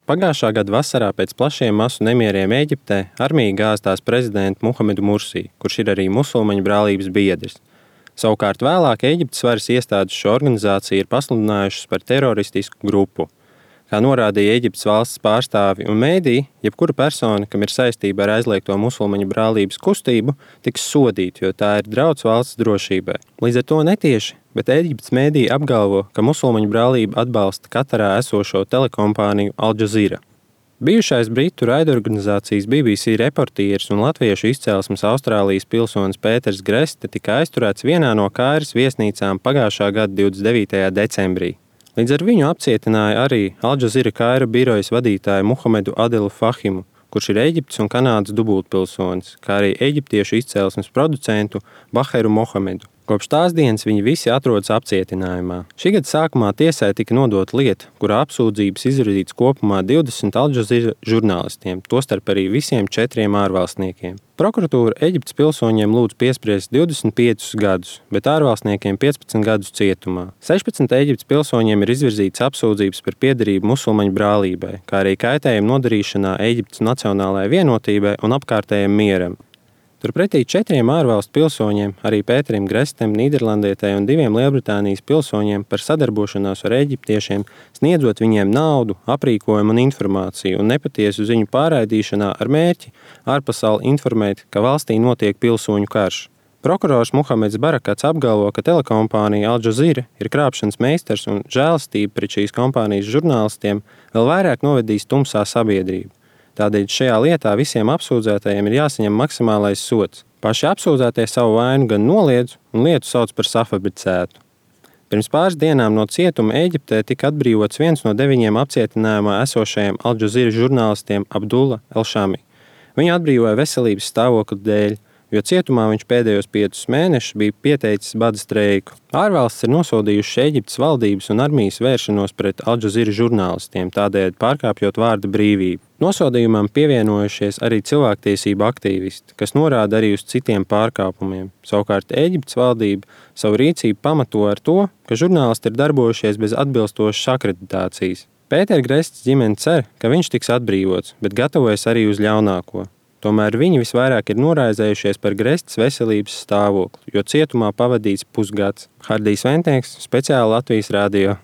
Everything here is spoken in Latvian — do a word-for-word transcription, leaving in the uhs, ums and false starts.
Pagājušā gada vasarā pēc plašiem masu nemieriem Ēģiptē armija gāza tās prezidentu Muhamedu Mursī, kurš ir arī musulmaņu brālības biedrs. Savukārt vēlāk Ēģiptes varas iestādes šo organizāciju ir pasludinājušas par teroristisku grupu. Kā norādīja Ēģiptes valsts pārstāvi un mēdīji, jebkura persona, kam ir saistība ar aizliegto musulmaņu brālības kustību, tiks sodīta, jo tā ir drauds valsts drošībai. Līdz ar to netieši, bet Ēģiptes mēdīji apgalvo, ka musulmaņu brālība atbalsta Katarā esošo telekompāniju Al Jazeera. Bijušais britu raidorganizācijas B B C reportieris un latviešu izcelsmes Austrālijas pilsonis Pēters Greste tika aizturēts vienā no Kairas viesnīcām pagājušā gada divdesmit devītajā decembrī. Līdz ar viņu apcietināja arī Al Jazeera Kaira birojas vadītāju Muhamedu Adilu Fahimu, kurš ir Ēģiptes un Kanādas dubultpilsonis, kā arī eģiptiešu izcelsmes producentu Baheru Mohamedu. Kopš tās dienas viņi visi atrodas apcietinājumā. Šī gada sākumā tiesai tika nodota lieta, kurā apsūdzības izvirzītas kopumā divdesmit Al Jazeera žurnālistiem, tostarp arī visiem četriem ārvalstniekiem. Prokuratūra Ēģiptes pilsoņiem lūdz piespriest divdesmit piecus gadus, bet ārvalstniekiem piecpadsmit gadus cietumā. sešpadsmit Ēģiptes pilsoņiem ir izvirzītas apsūdzības par piederību musulmaņu brālībai, kā arī kaitējumu nodarīšanā Ēģiptes nacionālajai vienotībai un apkārtējiem mieram. Turpretī četriem ārvalstu pilsoņiem, arī Pēterim Grestem, Nīderlandietei un diviem Lielbritānijas pilsoņiem par sadarbošanos ar eģiptiešiem, sniedzot viņiem naudu, aprīkojumu un informāciju un nepatiesu ziņu pārraidīšanā ar mērķi ārpasauli informēt, ka valstī notiek pilsoņu karš. Prokurors Muhameds Barakats apgalvo, ka telekompānija Al Jazeera ir krāpšanas meistars un žēlastība pret šīs kompānijas žurnālistiem vēl vairāk novedīs tumsā sabiedrību. Tādēļ šajā lietā visiem apsūdzētajiem ir jāsaņem maksimālais sods. Paši apsūdzētie savu vainu gan noliedz un lietu sauc par safabricētu. Pirms pāris dienām no cietuma Ēģiptē tika atbrīvots viens no deviņiem apcietinājumā esošajiem Al Jazeera žurnālistiem Abdullah El-Shami. Viņu atbrīvoja veselības stāvokļa dēļ, jo cietumā viņš pēdējos piecus mēnešus bija pieteicis bada streiku. Ārvalstis ir nosodījušas Ēģiptes valdības un armijas vēršanos pret Al Jazeera žurnālistiem, tādēļ pārkāpjot vārda brīvību. Nosodījumam pievienojušies arī cilvēktiesību aktīvisti, kas norāda arī uz citiem pārkāpumiem. Savukārt Ēģiptes valdība savu rīcību pamato ar to, ka žurnālisti ir darbojušies bez atbilstošas akreditācijas. Pētera Grests ģimene cer, ka viņš tiks atbrīvots, bet gatavojas arī uz ļaunāko. Tomēr viņi visvairāk ir noraizējušies par Grestas veselības stāvokli, jo cietumā pavadīts pusgads. Hardijs Ventnieks, speciāli Latvijas radio.